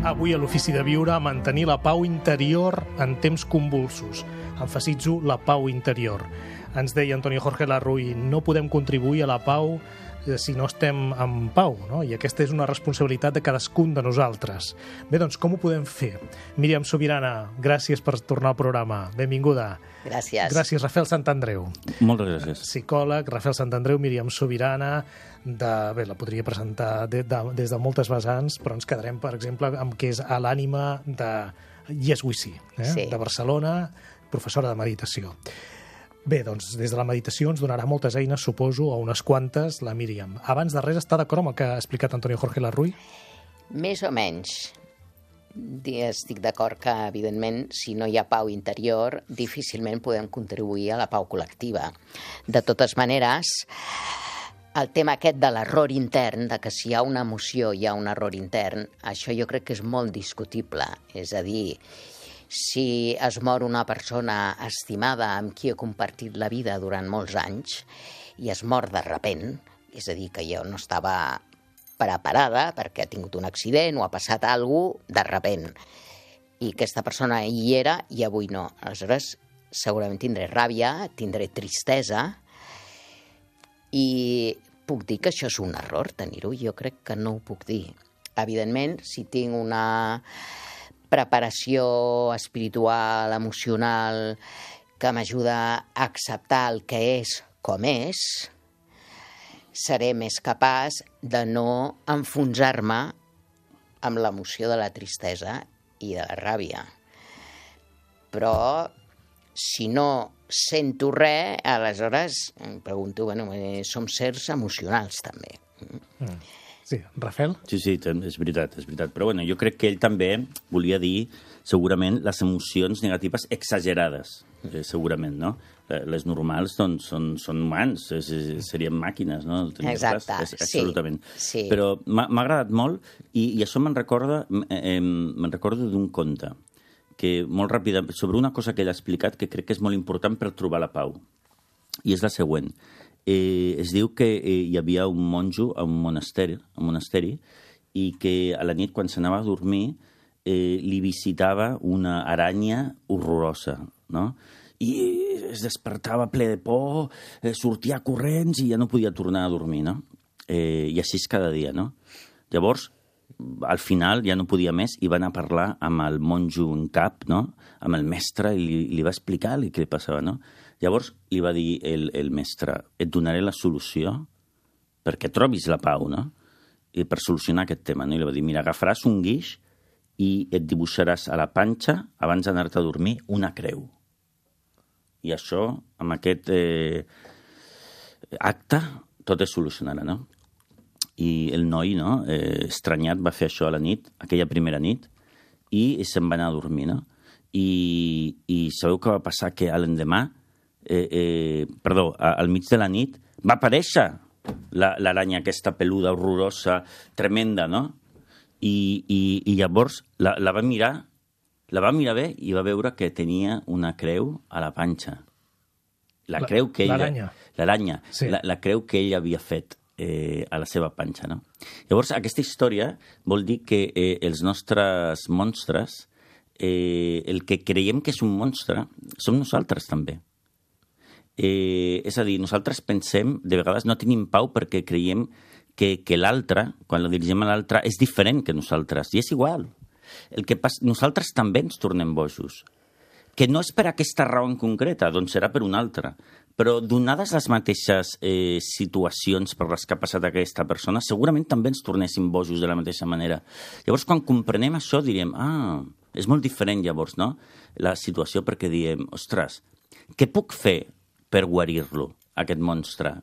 Avui a l'Ofici de Viure, mantenir la pau interior en temps convulsos. Emfasitzo la pau interior. Ens deia Antonio Jorge Larruy, no podem contribuir a la pau si no estem en pau, no? I aquesta és una responsabilitat de cadascun de nosaltres. Bé, doncs, com ho podem fer? Míriam Subirana, gràcies per tornar al programa. Benvinguda. Gràcies. Gràcies, Rafael Santandreu. Moltes gràcies. Psicòleg, Rafael Santandreu, Míriam Subirana. Bé, la podria presentar des de moltes vessants, però ens quedarem, per exemple, amb què és a l'ànima de Yes We See, Sí. de Barcelona, professora de meditació. Bé, doncs, des de la meditació ens donarà moltes eines, suposo, o unes quantes, la Míriam. Abans de res, està d'acord amb el que ha explicat Antonio Jorge Larruy? Més o menys. Estic d'acord que, evidentment, si no hi ha pau interior, difícilment podem contribuir a la pau col·lectiva. De totes maneres, el tema aquest de l'error intern, de que si hi ha una emoció hi ha un error intern, això jo crec que és molt discutible. És a dir, si es mor una persona estimada amb qui he compartit la vida durant molts anys i es mor de repent, és a dir, que jo no estava preparada perquè ha tingut un accident o ha passat alguna cosa de repent, i aquesta persona hi era i avui no. Aleshores, segurament tindré ràbia, tindré tristesa, i puc dir que això és un error, tenir-ho? Jo crec que no ho puc dir. Evidentment, si tinc una preparació espiritual, emocional, que m'ajuda a acceptar el que és com és, seré més capaç de no enfonsar-me amb l'emoció de la tristesa i de la ràbia. Però si no sento res, aleshores em pregunto, som sers emocionals també. Sí, Rafael? Sí, és veritat. Però jo crec que ell també volia dir, segurament, les emocions negatives exagerades, segurament, no? Les normals doncs, són humans, serien màquines, no? Exacte, absolutament. Sí. Però m'ha agradat molt i això me'n recordo d'un conte que molt ràpidament, sobre una cosa que ell ha explicat que crec que és molt important per trobar la pau, i és la següent. Es diu que hi havia un monjo a un monasteri i que a la nit, quan s'anava a dormir, li visitava una aranya horrorosa, no? I es despertava ple de por, sortia corrents i ja no podia tornar a dormir, no? I així és cada dia, no? Llavors, al final ja no podia més i va anar a parlar amb el monjo en cap, no? Amb el mestre, i li va explicar què li passava, no? Llavors li va dir el mestre, et donaré la solució perquè trobis la pau, no? I per solucionar aquest tema, no? I li va dir, mira, agafaràs un guix i et dibuixaràs a la panxa, abans d'anar-te a dormir, una creu. I això, amb aquest acte, tot es solucionarà, no? I el noi, no, estranyat, va fer això a la nit, aquella primera nit, i se'n va anar a dormir, no? I sabeu què va passar? Que a l'endemà, al mig de la nit, va aparèixer l'aranya aquesta peluda, horrorosa, tremenda, no? I llavors la va mirar bé i va veure que tenia una creu a la panxa. L'aranya. L'aranya, sí. La creu que ell havia fet a la seva panxa, no? Llavors, aquesta història vol dir que els nostres monstres, el que creiem que és un monstre, som nosaltres també. És a dir, nosaltres pensem, de vegades no tenim pau perquè creiem que l'altre, quan la dirigim a l'altre, és diferent que nosaltres, i és igual. El que passa, nosaltres també ens tornem bojos. Que no és per aquesta raó en concreta, doncs serà per una altra. Però donades les mateixes situacions per les que ha passat aquesta persona, segurament també ens tornéssim bojos de la mateixa manera. Llavors, quan comprenem això, diríem, és molt diferent llavors, no?, la situació, perquè diem, ostres, què puc fer per guarir-lo, aquest monstre?